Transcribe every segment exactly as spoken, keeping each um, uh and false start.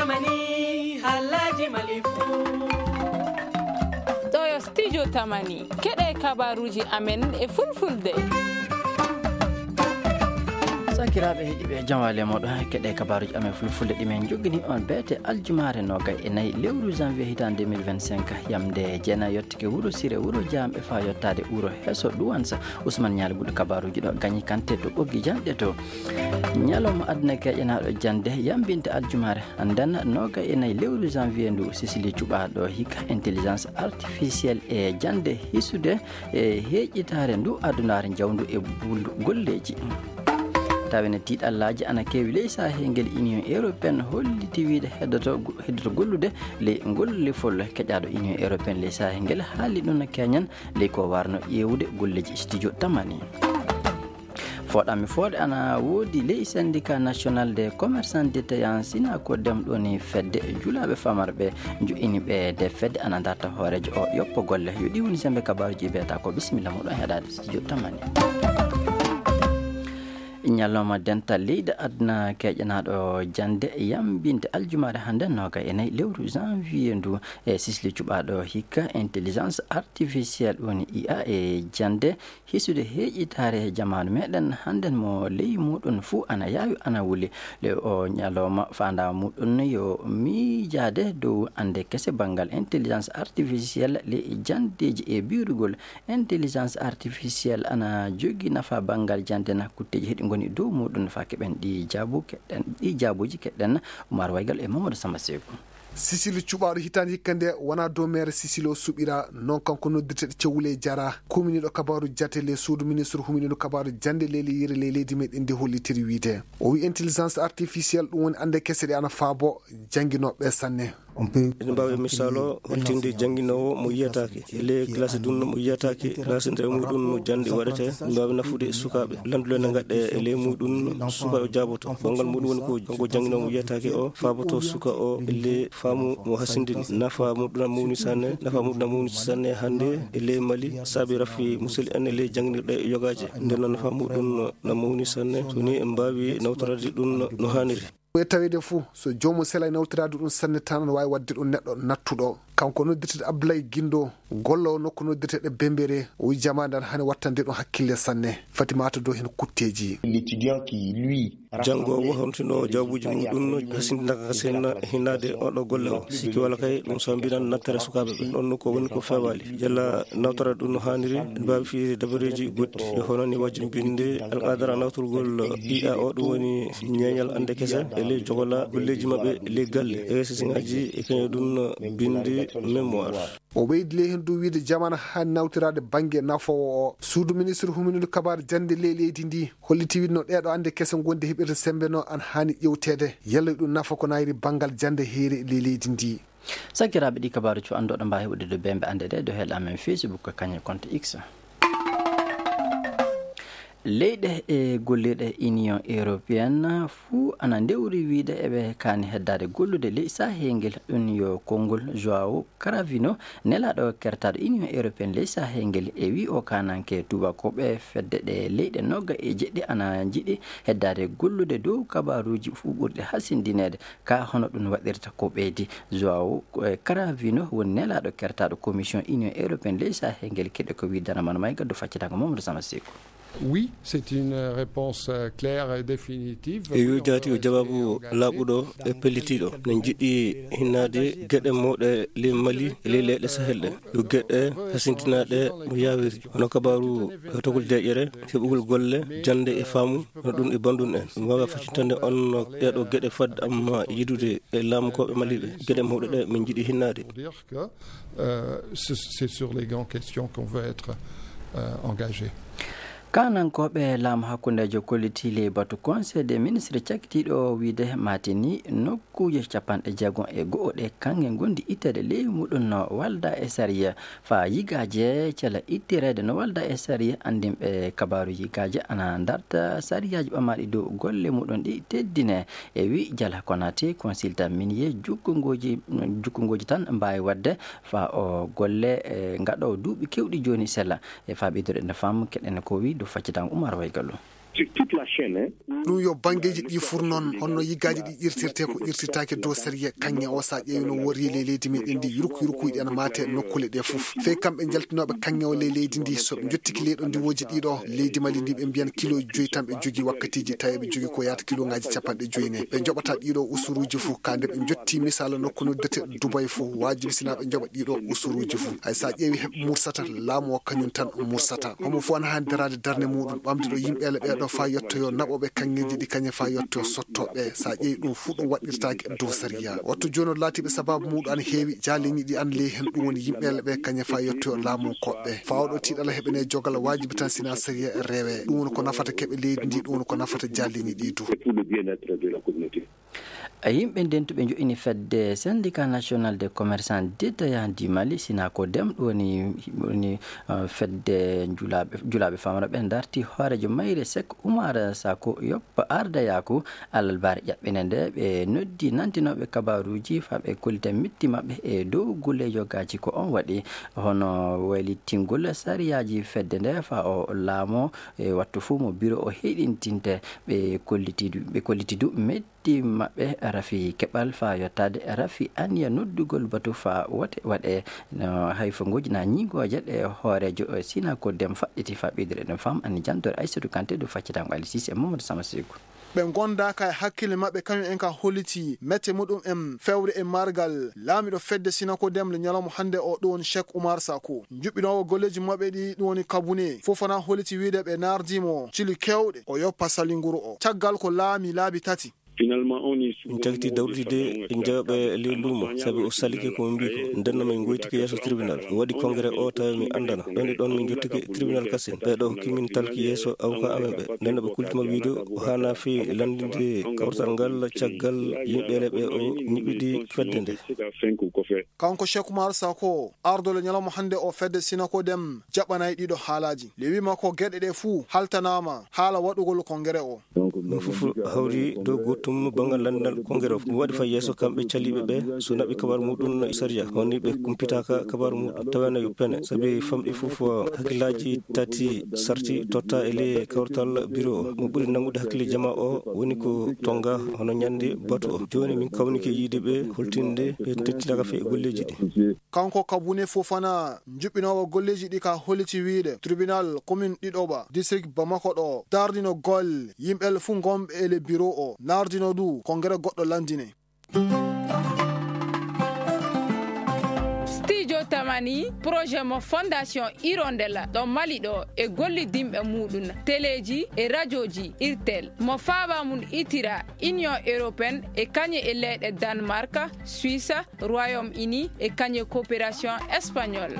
Mani, halaji malifu. Ɗo yo studio Tamani. Keɗe kabaruji amen e fulfulde. Sakiraaɓe heɗiiɓe, jam waali e mooɗon. Keɗe kabaruji amen fulfulde ɗi min njogini on beete aljumaare noogay e nayi lewru janvier hitaande deux mille vingt-cinq, yamde jeenayi yottike wuro Sire, wuro Jaam e faa yottaade wuro Heso Duwansa. Usman Ñaali Buɗo kabaruji ɗo gañi kante to ɓoggi janɗe to. Ñalawma aduna keƴanaaɗo jande yambinte aljumaare hannden noogay e nayi lewru janvier ndu, Sisili cuɓaaɗo hikka intelligence artificielle e jande hisude e heeƴitaare ndu adunaare njawndu e buldu golleeji. Tawi ne tiiɗallaaji ana keewi ley saahel ngel, Union Européenne holliti wiyde heddoto, heddoto gollude ley ngol lefol. Keƴaaɗo Union Européenne ley saahel ngel haali ɗum no keñan ley ko warno ƴeewude golleeji studio Tamani. Fooɗanmi fooɗe ana woodi ley Syndicat National des Commerçants Détaillants, Synacodem, ɗum woni fedde julaaɓe famarɓe joɗɗini ɓe. Nde fedde ana darta hooreejo o yoppo golle. Yo ɗi woni sembe kabaruji beta ko. Bisimilla moɗon heɗaade studio Tamani. Ñalawma dental leydi aduna keƴanaaɗo jande yambinte aljumaare hannden noogay e nayi lewru janvier ndu, e Sisili cuɓaaɗo hikka intelligence artificielle, ɗum woni I A, e jande hisude heeƴitaare e jamaanu meɗen hannden mo ley muɗum fuu ana yaawi ana wuli. Le o ñalawma faandaare muɗum yo miijaade dow annde kese banngal intelligence artificielle ley jandeeji e biirugol. Intelligence artificielle ana jogii nafa banngal jande na kutteeji heɗi ngoni dow muɗum faa keɓen ɗi jaabu keɗen, ɗi jaabuuji keɗen. Umar Waygal e Mamadou Samba Seeku. Sisili cuɓaaɗo hitaande hikka nde wonaa dow meere Sisili o suɓiraa, noon kanko noddirteeɗo Cewle Jara, kuminiiɗo kabaaru jate ley suudu ministre huminiiɗo kabaaru jande ley leyre ley leydi meɗen ndi hollitiri wiyde. O wiyi intelligence artificielle ɗum woni annde kese ɗe ana faabo jannginooɓe sanne. Eɗen mbaawi misaalo hollitinde jannginoowo mo yiyataake e ley classe ɗum mo yiyataake, classe nde muɗum no jannde waɗetee, mbaawi nafude e sukaaɓe. Lanndule ne ngaɗe e ley muɗum, suka o jaaboto. Banngal muɗum woni ko kanko jannginoowo mo yiyataake o faaboto suka o e ley faamu mo hasindini. Nafa muɗum na mawni sanne, nafa muɗum na mawni sanne hannde e ley Mali, saabi rafi musel en e ley janngirɗe yogaaje. Nden noon nafa muɗum na mawni sanne, so ni en mbaawi nawtorade ɗum no haaniri. E taweede fuu, so joomum selay nawtoraade ɗum sanne tan, ana waawi waɗde ɗum neɗɗo nattuɗo. Kanko noddirteeɗo Abdoulaye Guindo, golloowo nokku noddirteeɗo Bembere, o wiyi jamaanu ana haani wattande ɗum hakkille sanne. Fatimata Dow heen kutteeji. L'étudiant qui, lui, janngo o wontinoo jawbuuji mum ɗum no hasindinaka sen hinaade oɗo golle o. Sikki wala kay ɗum sambinan nattere sukaaɓe ɓe. Ɗon no ko woni ko feewaali. Yalla nawtora ɗum no haaniri, mbaawi fiyde dabareeji goɗɗi. Yo hono ni wajjumbinde alqadara nawtorgol I A o, ɗum woni ñeeñal annde kese e ley jogola golleeji maɓɓe ley galle. E sesiŋaaji e kañum ɗum no binde mémoire. O ɓeydi ley heen dow wiyde jamaanu haani nawtoraade bannge nafoowo o. Suudu ministre huminiiɗo kabaaru jannde ley leydi ndi holliti wiyde no ɗeeɗo annde kese ngonde heɓirde sembe no ana haani ƴewteede. Yalla ɗum nafa ko nayri banngal jannde heere ley leydi ndi. Sakiraaɓe, ɗi kabaaru cuɓaaɗo mbaawi heɓude dow bembe annde ɗe dow hello amen Facebook, kañum e compte X. Leyɗe e gollirɗe Union Européenne fuu ana ndewri wiyde eɓe kaani heddaade gollude ley saahel ngel. Ɗum yo konngol João Cravinho, nelaaɗo kertaaɗo Union Européenne ley saahel ngel, e wiyi o kaananke tuubakooɓe fedde ɗe leyɗe noga e jeɗɗi ana njiɗi heddaade gollude dow kabaaruuji fuu ɓurɗi hasindineede. Ka hono ɗum waɗirta ko ɓeydi. João, eh, Cravinho woni nelaaɗo kertaaɗo Commission Union Européenne ley saahel ngel. Keɗe ko wiy dana man may gaddu faccitaango Mamadou Sama Seeku. Oui, c'est une réponse, euh, claire et définitive. Eyo, jaati o jawaabu laaɓuɗo e pellitiiɗo. Ne njiɗi hinnaade geɗe mawɗe ley Mali e ley leyɗe Sahel ɗe. Yo geɗe hasintinaaɗe mo yaawiri. Hono kabaaru heɓtogol deeƴere, heɓugol golle, jannde e faamu, no ɗum e banndum en. Ɗum waawa faccintande on no ɗeeɗo geɗe fad amma yidude e laamukooɓe Mali ɓe. Geɗe mawɗe ɗe min njiɗi hinnaade. Pour dire que, euh, ce, c'est sur les grandes questions qu'on veut être, euh, engagé. Kaanankooɓe laamu hakkundeejo kolliti ley batu Conseil des ministres cakkitiiɗo wiyde maatini nokkuuje capanɗe jeegom e go'o ɗe kaŋŋe ngondi itteede ley muɗum no walda e sariya. Faa yigaaje cela ittireede no walda e sariya, anndinɓe kabaaru yigaaje ana ndarta sariyaaji ɓamaaɗi dow golle muɗum ɗi teddine. E wi Jala Konate, consultant minier, jukkungooji, jukkungooji tan mbaawi waɗde faa o golle, e ngaɗo duuɓi keewɗi jooni sella. E faa ɓeydude ene faam keɗen ko wi dow faccitango Umar Waygallo. Sur toute la chaîne, hein. Ɗum yo banngeeji ɗi fur noon, honno yiggaaji ɗi irtirte ko irtirtaake dow sariya kaŋŋe o, so a ƴeewi no wori ley leydi meɗen ndi, yurku yurkuuji ɗi ana maate nokkuule ɗe fof. Fey kamɓe jaltinooɓe kaŋŋe o ley leydi ndi, so ɓe njottiki ley ɗo ndiwooji ɗiɗo, leydi Mali ndi ɓe mbiyan kilo joyi tan ɓe jogii wakkatiiji, tawi ɓe jogii ko yaata kiloŋaaji capanɗe joyi ne. Ɓe njoɓata ɗiɗo usuruuji fof, ka nde ɓe njotti misaala nokku noddete Dubai fof, waajibi sina ɓe njoɓa ɗiɗo usuruuji fof. Hay so a ƴeewi heɓe mursata, laamu o kañum tan mursata. Homo fof ana haani daraade darnde muɗum, ɓamde ɗo yimɓeele ɓee ɗo faa yettoyo naɓooɓe kaŋŋeeji ɗi kañe faa yettoyo sottooɓe. So a ƴeewi ɗum fuu ɗum waɗirtaake dow sariya. Wattu jooni o laatiiɓe sabaabu muɗum ana heewi, jaaliŋi ɗi ana ley heen, ɗum woni yimɓeele ɓee kañe faa yettoyo laamu koɓɓe. Faa oɗo tiiɗala heɓene jogal waajibi tan sina sariya rewe. Ɗum woni ko nafata keɓe leydi ndi, ɗum woni ko nafata jaaliŋi ɗi du. C'est pour le bien-être de la communauté. Yimɓe ndentuɓe njo'ini fedde Syndicat National des Commerçants Détaillants du Mali, Synacodem, ɗum woni, woni, eh, fedde njulaaɓe, njulaaɓe famara ɓe darti hooreejo mayre Sek Umar Sako yoppa ardayaaku alarbaare ƴaɓɓinde nde. Ɓe noddi nantinooɓe kabaaruuji faa ɓe kollita mitti maɓɓe e dow gulle yogaaji ko on waɗi, hono waylitingol sariyaaji fedde nde faa o laamo e wattu fuu mo biro o heyɗintinte. Ɓe kolliti du, ɓe kolliti du metti maɓɓe rafi keɓal faa yottaade rafi aniya noddugol batu faa wote waɗe no hayfo ngooji na ñiŋooje ɗe hooreejo Synacodem faɗɗiti faa ɓeydude ɗum fam ani jantore Aysatu Kante dow faccitango Ali Sise e Mamadou Sama Seku. Ɓe ngondaaka e hakkille maɓɓe kañum en ka holliti mette muɗum en fewre e margal laamiɗo fedde Synacodem le ñalawma hannde o ɗum woni Cheikh Oumar Sako. Njuɓɓinoowo golleeji maɓɓe ɗi ɗum woni Kabune Fofana holliti wiide ɓe naardimo cili kewɗe o yoppa salinguru o. Caggal ko laami laabi tati. Finalement, on est sur Min tagiti dawrude de en jawaɓe ley luumo, sabi o salike ko min mbi ko. Ndenno min goytike yeeso tribunal. O waɗi congrès o tawi mi andana. Ɗon e ɗon min jottike tribunal kasen. Ɓe ɗo hokki min talki yeeso avocat amen ɓe. Ndenno ɓe kultima wiide o hana fi landinde kawtal ngal caggal yimɓe le ɓe o ñiɓidi fedde nde. Kanko Cheikh Oumar Sako, ardole ñalawma hannde o fedde Synacodem jaɓanay ɗiɗo haalaaji. Le wima ko geɗe ɗe fuu haltanaama haala waɗugol congrès o. Ɗum fof hawri dow goɗɗum banngal lanndal congrès o. Ɗum waɗi fay yeeso kamɓe caliiɓe ɓe, so naɓi kabar muɗum sariya, woni ɓe kumpitaaka kabar muɗum, tawena yo pene, sabi famɗi fof hakkillaaji tati sarti totta e ley kawtal biro o. Mo ɓuri nanngude hakkille jama o woni ko Tonga hono ñande batu o. Jooni min kawnike yiide ɓe holtinde ɓe tettinaaka fe e golleeji ɗi. Kanko Kabune Fofana, njuɓɓinoowo golleeji ɗi ka holliti wiide tribunal commune Ɗiɗoɓa, district Bamako ɗo, tardino golle yimɓe fuu ngonɓe e le bureau o, nardino du congrès goɗɗo landine. Studio Tamani, projet mo Fondation Hirondelle ɗo Mali ɗo e gollidinɓe muɗum, teleeji e rajooji, irtel, mo faaba mum itira Union Européenne e kañe e leyɗe Danemark, Suisse, Royaume-Uni e kañe coopération espagnole.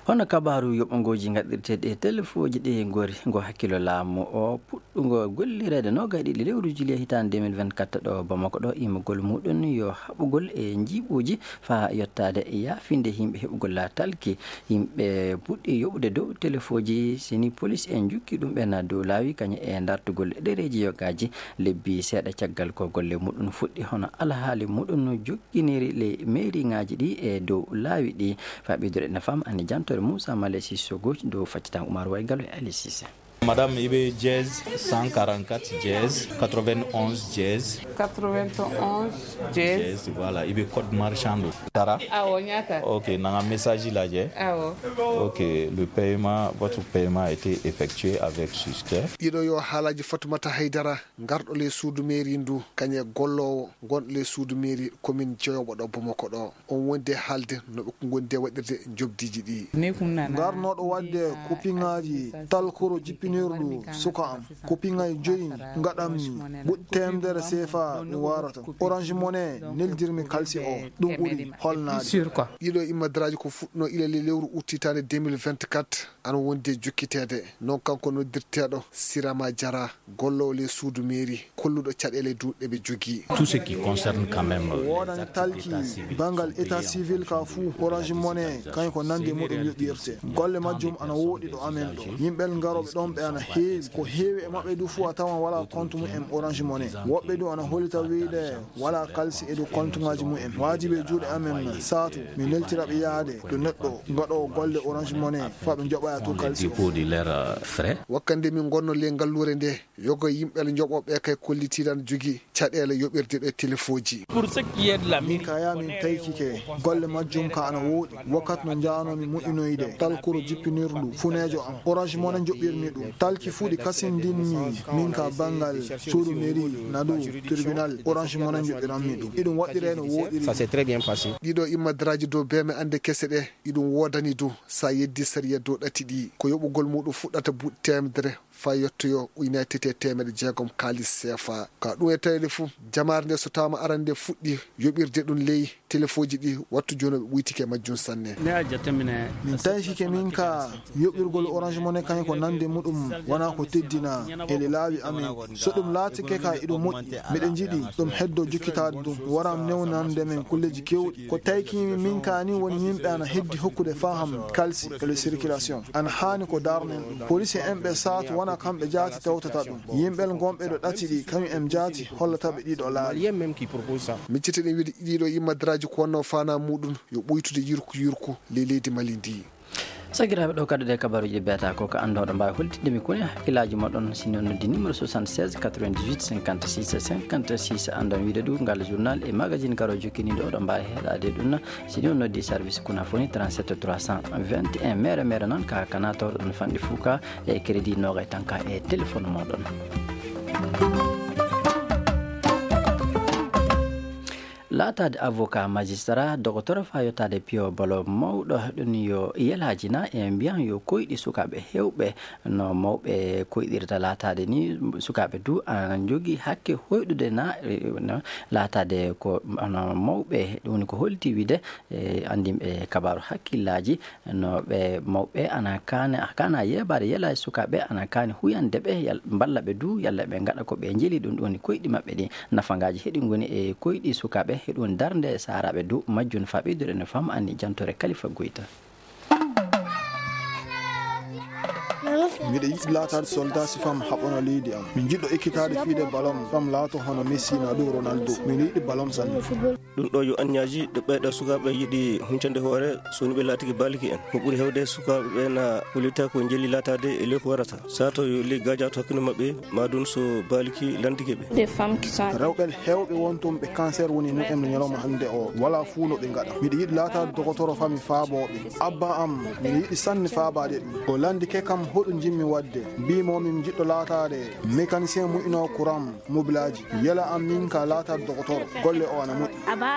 Hono kabaaru yoɓongooji ngaɗirteeɗi e telefooji ɗi ngori, ngo hakkilo laamu o puɗɗungo gollireede noogay ɗiɗi lewru juillet hitaande deux mille vingt-quatre ɗo Bamako ɗo, imagol muɗum yo haɓugol e njiiɓuuji faa yottaade yaafinde yimɓe heɓugol laatalki. Yimɓe puɗɗi yoɓude dow telefooji, sini polis en njukki ɗum ɓen dow laawi, kañum e dartugol ɗereeji yogaaji. Lebbi seeɗa caggal ko golle muɗum fuɗɗi, hono alhaali muɗum no jokkiniri ley meeriŋaaji ɗi e dow laawi ɗi. Faa ɓeydude no fam ani jantore Moussa Malesi Sogo dow faccitan Oumar Waygalo e Ali Cissé. Madame, ibe dièse cent quarante-quatre dièse quatre-vingt-onze dièse. Quatre-vingt-onze dièse. Dièse, voilà, ibe code marchand. Tara? Awo, ñaata? Ok, nanga message la je. Awo. Ok, le paiement, votre paiement a été effectué avec succès. Ɗiɗo yo haalaaji Fatoumata Haydara, ngarɗo le suudu mairie ndu, kañe golloowo, gonɗo le suudu mairie commune Dieyoɓo ɗo Bamako ɗo. On wondi e haalde no ɓe ngondi e waɗirde jobdiiji ɗi. Ngarnooɗo waɗde kupiŋaaji talkoro jippinirɗo suka am. Kupiŋaaji joyi ngaɗammi buɗ teemedere seefa mi waarata. Orange Money neldirmi kalsi o. Ɗum ɓuri holnaade. Ɗiɗo immadraaji ko fuɗɗunoo ila le lewru uttitaande deux mille vingt-quatre, ana wondi e jokkiteede. Noon kanko noddirteeɗo Sirama Jara, golloowo le suudu mairie, kolluɗo caɗeele duuɗɗe ɓe jogii. Tout ce qui concerne quand même, euh, woodani talki banngal état civil ka fuu, Orange Money kañum ko nande muɗum yoɓirte. Golle majjum ana wooɗi ɗo amen ɗo. Yimɓe ngarooɓe ɗon Ana heewi, ko heewi e maɓɓe du fuu a tawan walaa kontu mum en Orange Money. Woɓɓe du ana hollita wiyde walaa kalsi e dow kontuŋaaji mum en. Waajibi e juuɗe amen saatu mi neltira ɓe yaade to neɗɗo gaɗoowo golle Orange Money faa ɓe njoɓa to kalsi o. Dépôt de leur frais. Wakkande min ngonno le ngalluure nde, yoga yimɓe njoɓooɓe kay kollitiiɗo ana jogii caɗeele yoɓirde ɗe telefooji. Pour ce qui est de la Min ka yaa min taykike golle majjum ka ana wooɗi. Wakkati no njaanoomi moƴƴinoyde talkuru jippinirdu funeejo am, Orange Money njoɓɓirmi ɗum. Talki fuu ɗi kasindinmi min ka banngal suudu mairie, nadu tribunal, Orange Money njoɓɓiranmi ɗum. Iɗum waɗɗiree no wooɗiri. Ça s'est très bien passé. Ɗiɗo immadraji dow beeme ande kese ɗe, iɗum woodani du sa yeddi sariya dow ɗati ɗi. Ko yoɓugol muɗum fuɗɗata buuɗi teemedere faa yettoyo ujunaaji tati e teemeɗɗe jeegom kaalis seefa. Ka ɗum e tawede fuu, jamaare nde so tawaama arande fuɗɗi yoɓirde ɗum ley telefooji ɗi, wattu jooni ɓe ɓuytike majjum sanne. Min taykike min ka yoɓirgol Orange Money kañum ko nande muɗum wonaa ko teddina e laawi amen. So ɗum laatike ka iɗum moƴƴi, miɗen njiɗi ɗum heddo jokkitaade ɗum, wara newnande men kulleeji keewɗi. Ko taykimi min ka ni woni yimɓe ana heddi hokkude faham kalsi e le circulation. Ana haani ko darnen ɗum. Police en ɓe saatu wona kamɓe jaati tawtata ɗum. Yimɓe gonɓe ɗo ɗati ɗi kañum en jaati hollata ɓe ɗiɗo laawi. Miccite ɗen wiide ɗiɗo immadraji ko wonno fana muɗum yo ɓuytude yirku yirku ley leydi Mali ndi. Sakiraaɓe, ɗo kadduɗe kabaruuji ɗi mbiyata ko ka anndooɗo mbaawi holtinde mi koni hakkillaaji moɗon. Si ni on noddi numéro soixante-seize quatre-vingt-dix-huit cinquante-six cinquante-six, anndon wiide du ngal journal e magazine garo jokkiniiɗo oɗo mbaawi heɗaade ɗum. Si ni on noddi service kuna foni trente-sept trois cent vingt et un, mere mere noon ka kana tawɗo ɗon fanɗi fuu ka e crédit noogay tan ka e téléphone moɗon. Laataade avocat, magistrat, dogotor faa yottaade piyo balo mawɗo ɗum yo yelaaji na e mbiyan yo koyɗi sukaaɓe heewɓe no mawɓe koyɗirta laataade ni. Sukaaɓe du ana njogii hakke hoyɗude na, e, no laataade ko, no mawɓe, ɗum woni ko holti wiide, e, anndinɓe kabaaru hakkillaaji no ɓe mawɓe ana kaane, kaana yeebaade yelaaji sukaaɓe ana kaani huyande ɓe, yal-, mballa ɓe du, yalla ɓe ngaɗa ko ɓe njeli ɗum, ɗum woni koyɗi maɓɓe ɗi. Nafangaaji heɗi ngoni e koyɗi sukaaɓe, heɗum darnde saaraaɓe du majjum faa ɓeydude no fam anni jantore Kalifa Goyta. Miɗo yiɗi laataade soldat si fam haɓɓano leydi am. Mi jiɗɗo ekkitaade fiide balon, fam laato hono Messi na dow Ronaldo. Miɗo yiɗi balon sanne. Ɗum ɗo yo anniyaji ɗo ɓeyɗo sukaaɓe yiɗi huncande hoore, so ni ɓe laatiki baaliki en. Ko ɓuri heewde sukaaɓe ɓe na kulita ko njeli laataade e ley ko warata. Sato yo ley gaajato hakkunde maɓɓe, ma ɗum so baaliki landike ɓe. Des femmes qui sont Rewɓe heewɓe wontum ɓe cancer woni mumen no ñalawma hannde o. Wala fuu no ɓe ngaɗa. Miɗo yiɗi laataade dogotoro fami faabooɓe. Abba am, miɗo yiɗi sanne faabaade ɗum. O landike kam hoɗum njimmi waɗde. Mbiimo min jiɗɗo laataade mécanicien mu'inoo courant mobilaaji. Yela am min ka laataade dogotoro. Golle o ana moƴƴi.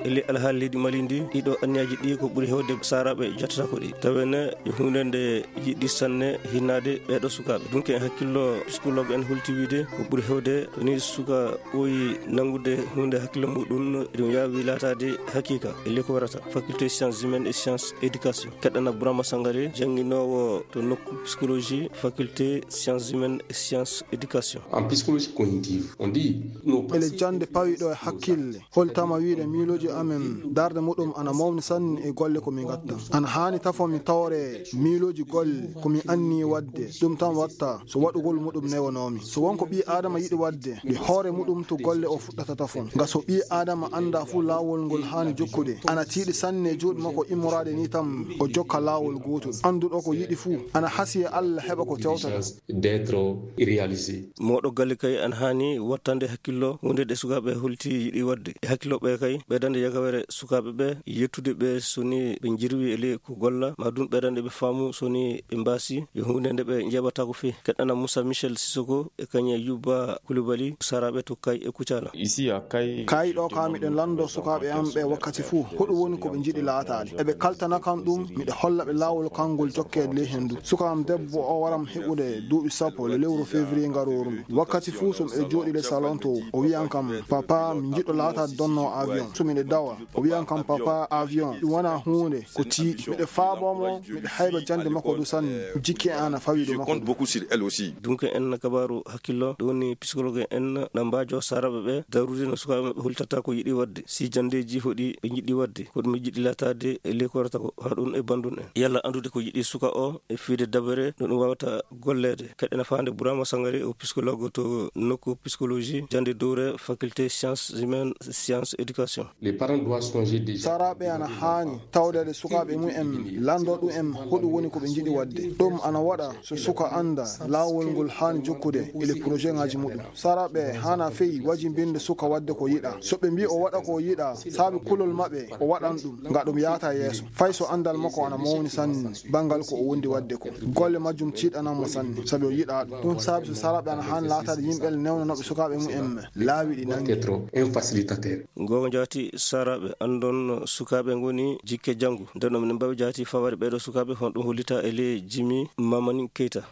Ele alhaali leydi Mali ndi, ɗiɗo anniyaji ɗi ko ɓuri heewde saaraaɓe jattata ko ɗi. Tawene e huunde nde yiɗi sanne hinnaade ɓeeɗo sukaaɓe. Dunke en hakkillo, psychologue en holti wiide ko ɓuri heewde ni suka ɓooyi nanngude huunde hakkillo muɗum, ɗum yaawi laataade hakiika e ley ko warata. Faculté sciences humaines et sciences éducation. Keɗɗana Bourama Sangaré, jannginoowo to nokku psychologie, faculté sciences humaines et sciences éducation. En psychologie cognitive, on dit, nos Ele pensées jannde pawiɗo e hakkille. Holtama wiide miilooji amen darde muɗum ana mawni sanne e golle ko min ngatta. Ana haani tafo mi tawre miilooji golle ko mi anni waɗde. Ɗum tan watta so waɗugol muɗum newanoomi. So won ko ɓii Aadama yiɗi waɗde, nde hoore muɗum to golle o fuɗɗata tafon. Nga so ɓii Aadama annda fuu laawol ngol haani jokkude, ana tiiɗi sanne e juuɗe makko immoraade ni tan o jokka laawol gootol. Annduɗo ko yiɗi fuu, ana hasi e Allah heɓa ko tewtata. D'être réalisé. Mawɗo galle kay ana haani wattande hakkillo huunde ɗe sukaaɓe holti yiɗi waɗde. E hakkillo ɓe kay, ɓeydande yagawere sukaaɓe ɓe, yettude ɓe so ni ɓe njirwi e ley ko golla, ma ɗum ɓeydande ɓe faamu so ni ɓe mbaasi, yo huunde nde ɓe njeeɓataako fii. Keɗɗana Moussa Michel Sissoko e kañe Yuba Koulibaly, saaraaɓe to Kay e Kucala. Ici à Kay. Kay ɗo ka miɗen lanndo sukaaɓe am ɓe wakkati fuu, hoɗum woni ko ɓe njiɗi laataade. Eɓe kaltana kam ɗum, miɗo holla ɓe laawol kanngol jokkeede ley henndu. Suka am debbo o waram heɓude duuɓi sappo le lewru février ngarooru ndu. Wakkati fuu so miɗo jooɗi le salon to, o wiyan kam, "Papa, mi jiɗɗo laataade donnoowo avion." So miɗo dawa, o wiyan kam, "Papa, avion, ɗum wonaa huunde, ko tiiɗi." Miɗo faaboo mo, miɗo hayba jannde makko du sanne. Jikke an a fawi du Je makko compte du. Beaucoup sur elle aussi. Dunke en kabaaru hakkillo, ɗum woni psychologue en na mbaajo saaraaɓe ɓe, darude no sukaaɓe maɓɓe hultata ko yiɗi waɗde. Si janndeeji hoɗi ɓe njiɗi waɗde, ko ɗum ɓe njiɗi laataade e ley ko warata ko, hono ɗum e banndum en. Yalla anndude ko yiɗi suka o e fiide dabere, no ɗum waawa watta golleede. Keɗɗen faande Burama Sangare, o psychologue to nokku psychologie, jannde dowre faculté sciences humaines, sciences éducation. Les parents doivent songer déjà. Saraaɓe ana haani tawdeede sukaaɓe mumen, lanndo ɗum en hoɗum woni ko ɓe njiɗi waɗde. Ɗum ana waɗa so suka annda laawol ngol haani jokkude e le projet ŋaaji muɗum. Saraaɓe haana feyi wajimbinde suka waɗde ko yiɗa. So ɓe mbii o waɗa ko yiɗa, saabi kulol maɓɓe, o waɗan ɗum, nga ɗum yaata yeeso. Fay so anndal makko ana mawni sanne, banngal ko o wondi waɗde ko. Golle majjum tiiɗanan mo sanne, sabi o yiɗa ɗum. Ɗum saabi so saraaɓe ana haani laataade yimɓe newnanooɓe sukaaɓe mumen laawi ɗi nangi. Être un facilitateur. Gooto jaati saraaɓe anndon sukaaɓe ngoni jikke janngu. Nden ɗum minen mbawi jaati fawaade ɓeeɗo sukaaɓe, hono ɗum hollita e ley Jimi Mamani Keita.